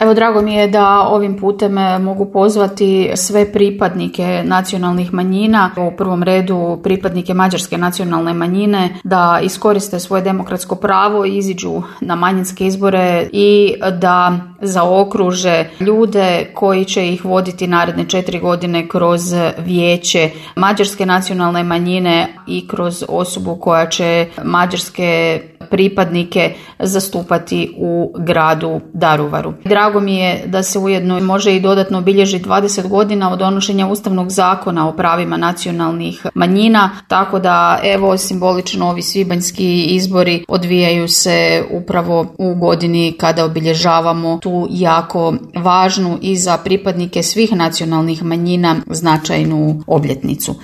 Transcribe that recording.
Evo, drago mi je da ovim putem mogu pozvati sve pripadnike nacionalnih manjina, u prvom redu pripadnike mađarske nacionalne manjine, da iskoriste svoje demokratsko pravo i iziđu na manjinske izbore i da zaokruže ljude koji će ih voditi naredne 4 godine kroz vijeće mađarske nacionalne manjine i kroz osobu koja će mađarske pripadnike zastupati u gradu Daruvaru. Drago mi je da se ujedno može i dodatno obilježiti 20 godina od donošenja Ustavnog zakona o pravima nacionalnih manjina, tako da evo simbolično ovi svibanjski izbori odvijaju se upravo u godini kada obilježavamo tu jako važnu i za pripadnike svih nacionalnih manjina značajnu obljetnicu.